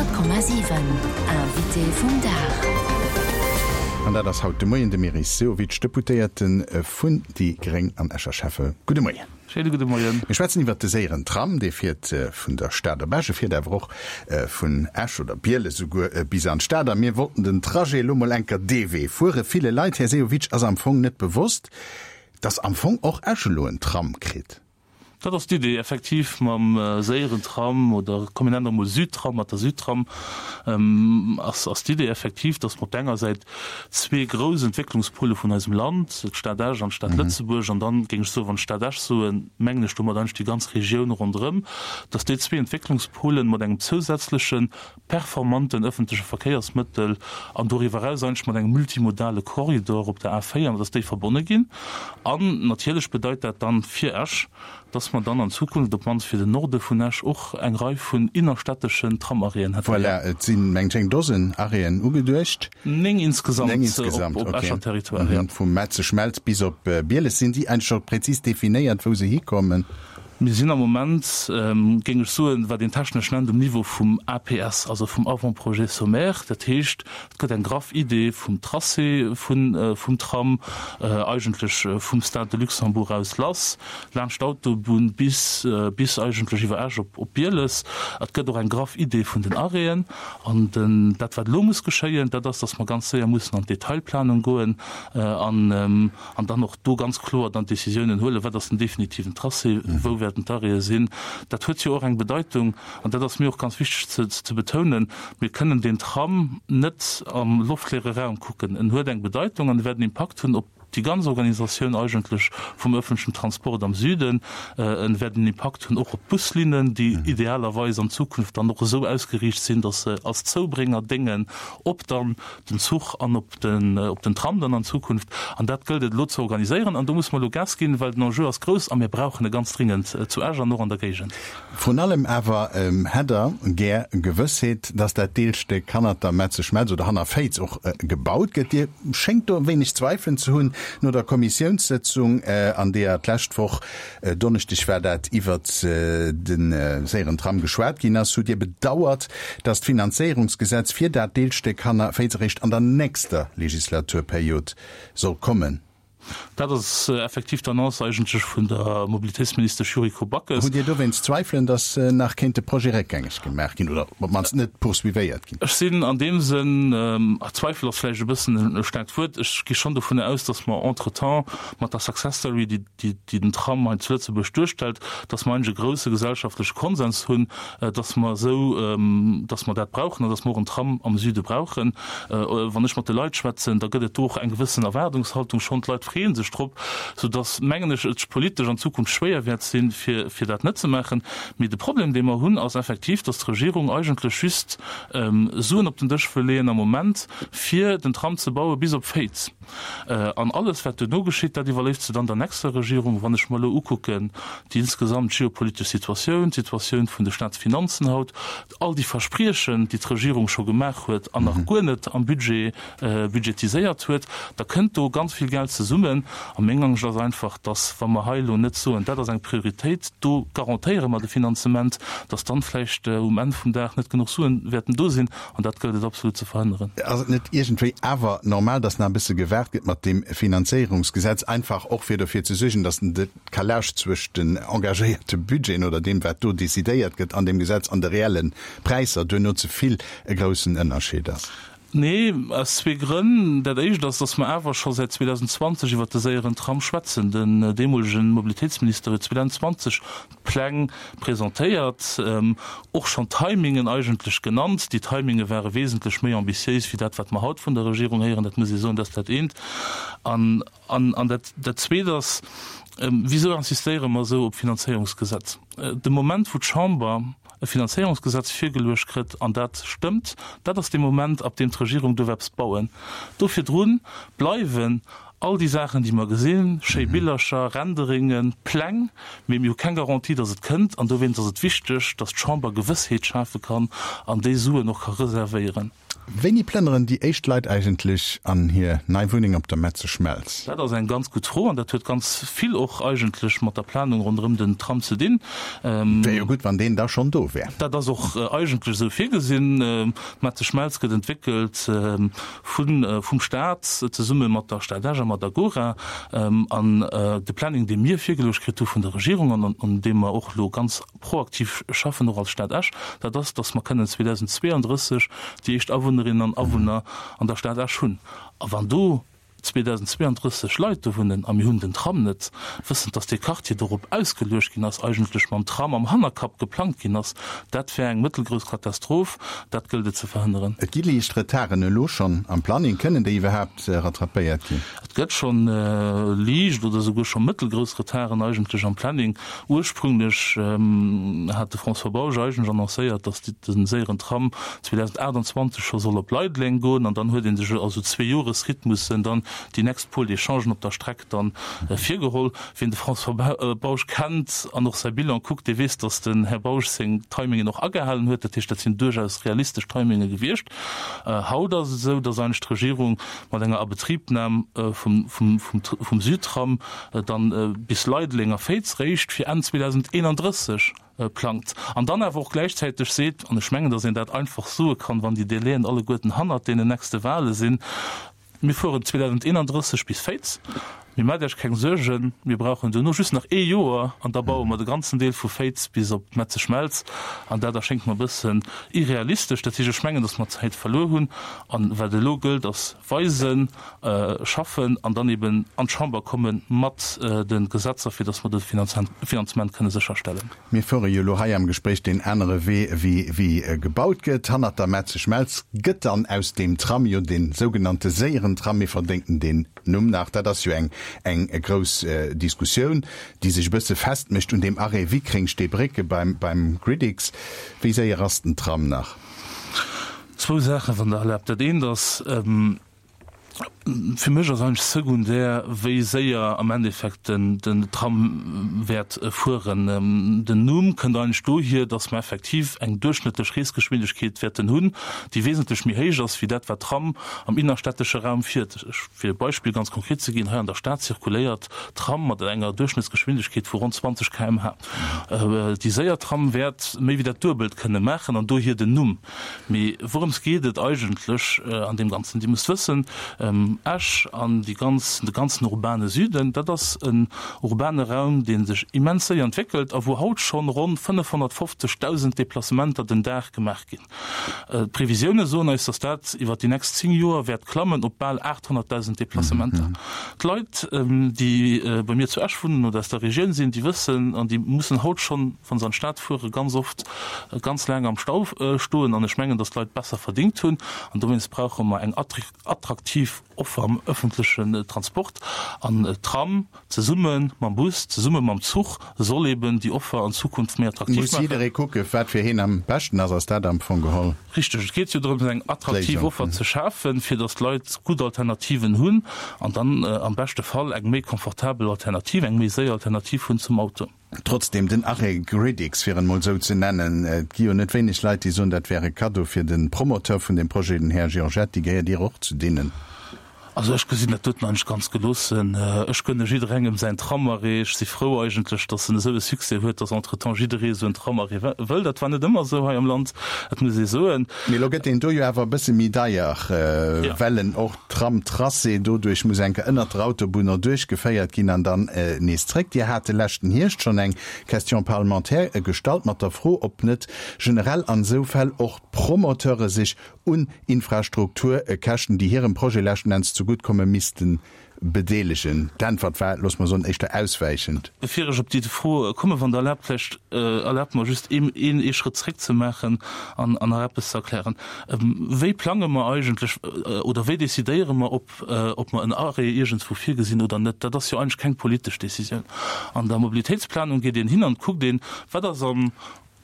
100,7 Invité vum Dag. An dat ass haut de Moien de Meris Sehovic, Deputéierte vun déi Gréng an Escher Schäffe. Gudde Moien. Schéine gudde Moien. Mir schwätzen iwwert de séieren Tram, dee fiert vun der Stad op Esch, e fiert awer och vun Esch oder Bieles esouguer bis an d'Stad. A mir wollten den Trajet elo mol enker dee Wee fuere. Ville Leit, Här Sehovic, ass am Fong net bewosst, dass am Fong och Esch elo en Tram kritt. Dat ass d'Idee, effektiv mam séieren Tram oder komm mir nennen et emol Südtram, mat der Südtram ass ass d'Idee effektiv, datt mer op der enger Säit zwee grouss Entwécklungspole vun eisem Land, d'Stad Esch an d'Stad Lëtzebuerg, an dann géing ech soen, wann ech Stad Esch soen, mengen ech domat eigentlech déi ganz Regioun ronderëm, datt déi zwee Entwécklungspolen mat engem zousätzleche performanten ëffentleche Verkéiersmëttel an doriwwer eraus eigentlech mat engem multimodale Korridor op der A4, dass déi verbonne ginn. An natierlech bedeit dat dann fir Esch, dass mer dann an Zukunft, op d'mannst fir den Norde vun Esch, och eng Rei vun innerstädteschen Tramarrêten hätten. Voilà, et sinn, mengen ech, eng Dosen Arrêten ugeduecht. Néng insgesamt op Escher Territoire, jo. Vum Metzeschmelz bis op Bieles. Sinn déi eigentlech scho prezis definéiert, wou se hikommen? Mir sinn am Moment, géing ech soen, wat een technesch nennt, um Niveau vum APS, also vum Avant-projet sommaire. Dat heescht, et gëtt eng graff Idee vum Tracé vum Tram, eigentlech vum Stade de Luxembourg aus lass, laanscht d'Autobunn bis bis eigentlech iwwer Esch op Bieles. Et gëtt och eng graff Idee vun den Arrêten. An dat, wat elo muss geschéien, dat ass, datt mer ganz séier mussen an d'Detailplanung goen an, An dann och do ganz kloer dann d'Décisiounen huelen, wat ass den definitiven Tracé, wou wäerten d'Arrêtë sinn. Dat huet jo och eng Bedeitung, an dat ass mir och ganz wichteg ze betounen, Mir kënnen deen Tram net am loftleere Raum kucken. En huet eng Bedeitung an e wäert en Impakt hunn op déi ganz Organisatioun eigentlech vum öffentlichen Transport am Süden. En wäert en Impakt hunn och op d'Buslinnen, déi idealerweis an Zukunft dann och esou ausgeriicht sinn, dass se als Zoubrénger déngen op dann den Zuch an op den, op den Tram dann an Zukunft. An dat gëllt et elo ze organiséieren. An do musse mer elo Gas ginn, well den Enjeu ass grouss a mir brauchen e ganz dringend zu Esch an och an der Géigend. Vrun allem awer hätt Der gär Gewëssheet, dass dat Deelstéck hannert der Metzeschmelz oder hanner Féiz och gebaut gëtt. Dir schéngt do e wéineg Zweifelen ze hunn no der Kommissiounssëtzung, an deeër d'lescht Woch Donneschdeg war dat, iwwert de séieren Tram geschwat ginn ass, hutt Dir bedauert, datt d'Finanzéierungsgesetz fir dat Deelstéck hanner Féiz eréischt an der nächster Legislaturperiod soll kommen. Dat ass effektiv d'Annonce eigentlech vun der Mobilitéitsministesch Yuriko Backes. Hutt Dir dowéinst Zweifelen, datt nach kéint de Projet réckgängeg gemaach ginn oder op d'mannst net poursuivéiert ginn? Ech sinn an deem Sënn, Zweifel ass vläicht e bëssen e staarkt Wuert, ech gi schonn dovunner aus, datt mer entretemps mat der Success Story, déi déi den Tram hei zu Lëtzebuerg duerstellt, dass mer eigentlech e grouse gesellschaftleche Konsens hunn, dass mer esou, dass mer dat brauchen an dass mer och en Tram am Süde brauchen. Wann ech mat de Leit schwätzen, da gëtt et do och eng gewëssen Erwaardungshaltung schonn. D'Leit freeë sech drop, soudass, mengen ech, et politesch an Zukunft schwéier wäert sinn, fir, fir dat net ze maachen. Mee de Problem, dee mer hunn, ass effektiv, dass d'Regierung eigentlech just Suen op den Dësch wëll leeën am Moment, fir den Tram ze baue bis op Féiz. An alles, wat duerno geschitt, dat iwwerléisst se dann der nächster Regierung. Wann ech mer elo ukucken, déi insgesamt geopolitesch Situatioun, d'Situatioun vun de Staatsfinanzen haut, all déi Verspriechen, déi d'Regierung scho gemaach huet an nach guer net am Budget budgetiséiert huet, da kënnt do ganz vill Geld zesummen. A meng Angscht ass einfach, dass, wa mer hei elo net soen, dat ass eng Prioritéit, do garantéiere mer de Finanzement, dass dann vläicht um Enn vum Dag net genuch Suen wäerten do sinn. An dat gëllt et absolut ze verhënneren. Ass et net iergendwéi awer normal, dass nach e bësse gewaart gëtt mat deem Finanzéierungsgesetz, einfach och fir dofir ze suergen, dass den Decalage zwëscht den engagéierte Budgeten oder deem, wat do decidéiert gëtt an deem Gesetz, an de reelle Präisser duerno ze vill e groussen Ënnerscheed ass? Nee, aus zwee Grënn. Dat Éischt ass, dass mer awer scho säit 2020 iwwert de séieren Tram schwätzen. Den deemolegen Mobilitéitsminister huet 2020 Pläng presentéiert, och schonn Timingen eigentlech genannt. Déi Timinge ware wesentlech méi ambitiéis wéi dat, wat mer haut vun der Regierung héieren. Dat muss ee soen, dat ass dat eent. An, an dat, dat Zweet ass, Wisou insistéiere mer esou op d'Finanzéierungsgesetz? De Moment, wou d'Chamber e Finanzéierungsgesetz virgeluecht kritt an dat stëmmt, dat ass dee Moment, ab deem d'Regierung duerf eppes bauen. Do virdru bleiwen All déi Saachen, déi mer gesinn, schéi Billercher, Renderingen, Pläng, mee mir hu keng Garantie, datt et kënnt. An dowéinst ass et wichteg, datt d'Chamber Gewëssheet schafe kann an déi Suen och ka reservéieren. Wéini plënneren déi éischt Leit eigentlech an hir nei Wunneng op der Metzeschmelz? Dat ass eng ganz gutt Fro an dat huet ganz vill och eigentlech mat der Planung ronderëm den Tram ze dinn. Wär jo gutt, wann deen da schonn do wär. Dat ass och eigentlech esou virgesinn. D'Metzeschmelz gëtt entwéckelt vun, vum Staat zesumme mat der Stad Esch a mat Agora. An de Planning, dee mir virgeluecht kritt hu vun der Regierung an un deem mer och elo ganz proaktiv schaffen, och als Stad Esch, dat ass, dass mer kënnen 2032 déi éischt Awunnerinnen an Awunner an der Stad Esch hunn. A wann do 2032 Leit do wunnen a mir hunn den Tram net, wëssend, dass dee Quartier dorop ausgeluecht ginn ass, eigentlech mam Tram am Hannerkapp geplangt ginn ass, dat wär eng mëttelgrouss Katastroph. Dat gëllt et ze verhënneren. Et gi liicht Retarden elo schonn am Planning. Kënnen déi iwwerhaapt rattrapéiert ginn? Et gëtt schonn liicht oder esouguer scho mëttelgrouss Retarden eigentlech am Planning. Ursprünglech hat de François Bausch eigentlech annoncéiert, datt de séieren Tram 2028 scho soll op Leideleng goen an dann huet ee sech a sou Zweejoresrhythmussen dann déi nächst Pôle d'échangen op der Streck dann virgeholl. Wien de François Bausch kennt an och säi Bilan kuckt, dee weess, datt den Här Bausch seng Timingen och agehalen huet. Dat heescht, dat sinn duerchaus realistesch Timinge gewiescht. Haut ass et esou, datt eigentlech d'Regierung mat enger Abetribnam vum Südtram dann bis Leideleng a Féiz réischt fir Enn 2031 plangt an dann awer och gläichzäiteg seet, an ech mengen, datt een dat einfach soe kann, wann déi Délaiën alleguerten hannert deenen nächste Wahle sinn, Mir fueren 2031 bis Féiz, mee maacht Iech keng Suergen, mir brauchen duerno just nach ee Joer an da baue mer de ganzen Deel vu Féiz bis op d'Metzeschmelz. An dat erschéngt mer e bëssen irrealistesch. Dat heescht, ech mengen, datt mer Zäit verluer hunn. An wat elo gëllt, ass weisen, schaffen an dann eben an d'Chamber komme mat de Gesetzer, fir datt mer de Finanzement kënne sécherstellen. Mir fuere jo elo hei am Gespréich deen anere Wee, wéi gebaut gëtt. Hannert der Metzeschmelz gëtt dann aus deem Tram jo dee sougenannte séieren Tram. Mir verdénken deen Numm nach. Dat ass jo eng eng grouss Diskussioun, déi sech e bësse festmécht un deem Arrêt Wickreng-Steebrécke beim beim Gridix. Wéi séier ass den Tram nach? Zwou Saachen, wann Der erlaabt. Dat eent ass, Fir mech ass eigentlech sekundär, wéi séier am Endeffekt den Tram wäert fueren. Den Numm kënnt eigentlech dohier, datt mer effektiv eng duerchschnëttlech Reesgeschwindegkeet wäerten hunn, déi wesentlech méi héich ass wéi dat, wat Tram am innerstädtesche Raum fiert. Fir e Beispill ganz konkret ze ginn, Hei an der Stad zirkuléiert d'Tram mat enger Duerchschnëttsgeschwindegkeet vu ronn 20 km/h. Déi séier Tram wäert méi wéi dat Duebelt kënne maachen an dohier den Numm. Mee wourëms geet et eigentlech an deem Ganzen? Dir musst wëssen, Esch an déi ganz, de ganzen urbane Süden, dat ass en urbane Raum, dee sech immens séier entwéckelt a wou haut schonn ronn 550.000 Deplacementer den Dag gemaach ginn. D'Previsioune soen eis, datt dat iwwer déi nächst 10 Joer wäert klammen op bal 800.000 Deplacementer. D'Leit, déi bei mir zu Esch wunnen oder aus der Regioun sinn, déi wëssen an déi mussen haut schonn, wa se an d'Stad fueren, ganz oft ganz laang am Stau stoen. An ech mengen, datt d'Leit besser verdingt hunn. An dowéinst brauche mer eng attraktiv Offer am ëffentlechen Transport. An d'Tram zesumme mam Bus, zesumme mam Zuch soll eben déi Offer an Zukunft méi attraktiv maachen. Muss jidderee kucke wat fir heen am beschten ass. Ass dat am Fong geholl? Richteg. Et geet jo drëms, eng attraktiv Offer ze schafen, fir datt d'Leit gutt Alternativen hunn an dann am beschte Fall eng méi komfortabel Alternativ, eng méi séier Alternativ hunn zum Auto. Trotzdem, den Arrêt Gridix, fir en emol esou ze nennen, et gi jo net wéineg Leit, déi soen, dat wär e Kaddo fir de Promoteur vun deem Projet, den Här Giorgetti. Gehéiert Dir och zu deenen? Also ech gesinn dat doten eigentlech ganz geloossen. Ech gönne jidderengem säin Tramarrêt. Ech si frou eigentlech, datt en esou e Succès huet, datt entretemps jidderee esou en Tramarrêt wëll. Dat war net ëmmer esou hei am Land, dat muss ee soen. Mee elo gëtt deen do jo awer e bësse méi deier, well en och d'Tramtracé doduerch muss eng Kéier ënnert der Autobunn erduerch geféiert ginn an dann nees zréck. Dir hat de leschten Hierscht schonn eng Question parlementaire gestallt mat der Fro, ob net generell an esou Fäll och d'Promoteure sech un Infrastrukturkäschten, déi hirem Projet leschten Enns zegutt kommen, missten bedeelegen. D'Äntwert war, loosse mer soen, éischter auswäichend. Bevir ech op déi Fro kommen, wann Der erlaabt, vläicht erlaabt mer just een ee Schrëtt zréck ze maachen an nach eppes ze erklären. Wéi plange mer eigentlech oder wéi decidéiere mer, ob ob mer en Arrêt iergendswou virgesinn oder net? Dat ass jo eigentlech keng politesch Décisioun. An der Mobilitéitsplanung geet een hin an kuckt een, wat ass am.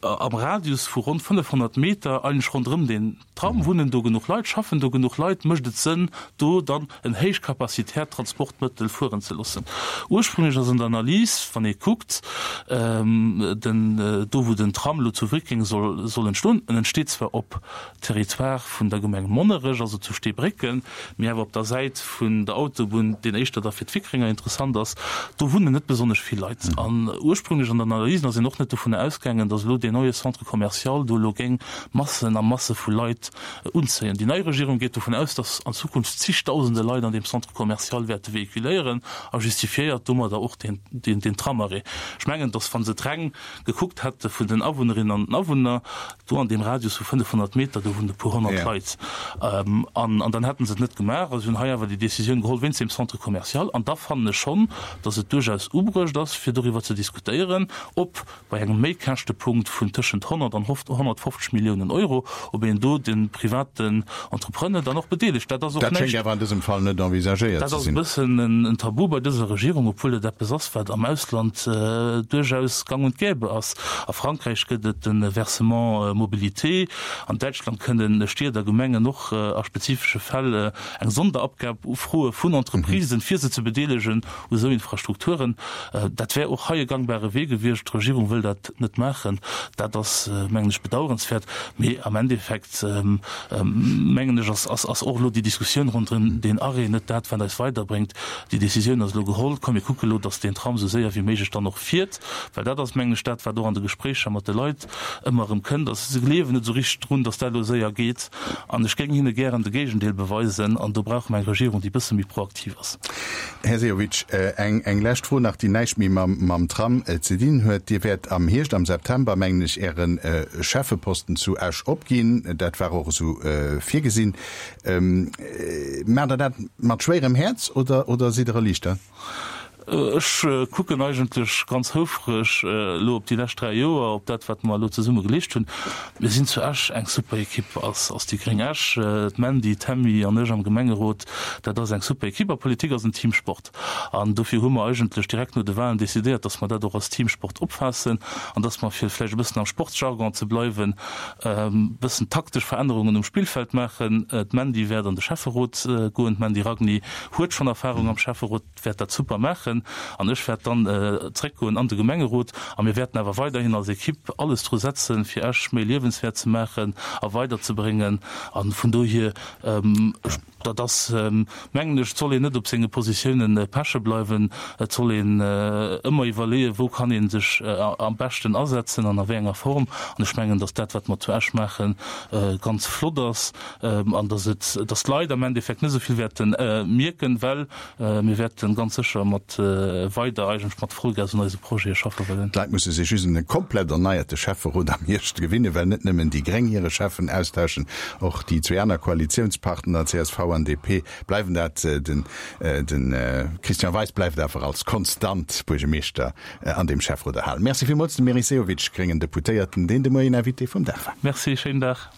Am Radius vu ronn 500 Meter eigentlech ronderëm deen Tram wunnen do genuch Leit, schaffen do genuch Leit, mécht et Sënn, do dann en héichkapazitäert Transportmëttel fueren ze loossen. Ursprünglech ass an der Analys, wann ee kuckt, den, do wou den Tram elo zu Wréckeng soll, soll entstoen, en entsteet zwar op Territoire vun der Gemeng Monnerech, also zu Steebrécken, mee awer op der Säit vun der Autobunn, deen éischter da fir d'Wickrenger interessant ass, do wunnen net besonnesch vill Leit. An ursprünglech an der Analysen ass een och net dovunner ausgaangen, datt elo deen neie Centre commercial do elo géing Massen a Masse vu Leit unzéien. Déi nei Regierung geet dovun aus, datt an Zukunft zigdausende Leit an deem Centre commercial wäerte véhiculéieren a justifiéiert domadder och deen Tramarrêt. Ech mengen, datt wa se et reng gekuckt hätte vun den Awunnerinnen an den Awunner, do an deem Radius vu 500 Meter, do wunnen e puer 100 Leit, an an dann hätte se et net gemaach. A se hunn hei awer déi Décisioun geholl wéinst deem Centre commercial. An da fannen ech schonn, datt et duerchaus ubruecht ass, fir doriwwer ze diskutéieren, ob bei engem Méikäschtepunkt vun tëschent 100 an 150 Milliounen Euro, ob een do de privaten Entrepreneur dann och bedeelegt. Dat ass och Dat schéngt awer an dësem Fall net envisagéiert ze sinn. Dat ass e bëssen en Tabu bei dëser Regierung, obwuel et eppes ass, wat am Ausland duerchaus gang und gäbe ass. A Frankräich gëtt et de Versement mobilité, an Däitschland kënne Stied a Gemengen och a spezifesche Fäll eng Sonderabgab ufroe vun Entreprisen, fir se ze bedeelegen u esou Infrastrukturen. Dat wär och hei e gangbare Wee gewiescht. D'Regierung wëll dat net maachen. Dat ass, mengen ech, bedauerenswäert. Mee am Endeffekt, mengen ech, ass och elo déi Diskussioun ronderëm deen Arrêt net dat, wat eis weiderbréngt. Déi Décisioun ass elo geholl. Komm, mir kucke elo, datt deen Tram esou séier wéi méiglech dann och fiert, well dat ass, mengen ech, dat, wat och an de Gespréicher mat de Leit ëmmer erëm kënnt, ass, se gleewen net esou richteg drun, datt dat elo séier geet. An ech géing hinne gären de Géigendeel beweisen. An do brauche mer eng Regierung, déi e bësse méi proaktiv ass. Här Sehovic, eng lescht Fro nach, déi näischt méi mam Tram ze dinn huet. Dir wäert am Hierscht, am September, mengen ech, Äre Schäffeposten zu Esch opginn. Dat war och esou virgesinn. Maacht Der dat mat schwéierem Häerz oder sidd Der erliichtert? Ech kucken eigentlech ganz houfreg elo op déi lescht 3 Joer, op dat, wat mer elo zesumme geleescht hunn. Mir sinn zu Esch eng super Ekipp als déi gréng Esch. D'Mandy, d'Tammy an ech am Gemengerot, dat ass eng super Ekipp. A Politik ass en Teamsport. An dofir hu mer eigentlech direkt no de Wahlen decidéiert, dass mer dat och als Teamsport opfaassen an dass mer, fir vläicht e bëssen am Sportsjargon ze bleiwen, e bëssen taktesch Verännerungen um Spillfeld maachen. D'Mandy wäert an de Schäfferot goen. D'Mandy Ragni huet schonn Erfahrung am Schäfferot. wäert dat super maachen an ech wäert dann zréckgoen an de Gemengerot a mir wäerten awer weiderhin als Equipe alles dru setzen, fir Esch méi liewenswäert ze maachen a weiderzebréngen. A vun dohier, dat ass, mengen ech, et soll een net op senge Positiounen peche bleiwen, et soll een ëmmer iwwerleeën, wou kann ee sech am beschten asetzen an a wéi enger Form. An ech mengen, datt dat, wat mer zu Esch maachen, ganz flott ass an datt et, datt d'Leit am Endeffekt net esou vill wäerte mierken, well Mir wäerten ganz sécher mat weider eigentlech mat Vollgas un eise Projete schaffe wëllen. D'Leit musse sech just un e komplett erneierte Schäfferot am Hierscht gewinnen, well net nëmmen déi Gréng hire Schäffen austauschen, och déi zwee aner Koalitiounspartner, csv an DP, bleiwen dat. Den Christian Weis bleift awer als konstant Buergemeeschter an deem Schäfferot erhalen. Merci villmools dem Meris Sehovic, gréngen Deputéierten, deen de Moien Invité vum Dag war. Merci, schéinen Dag.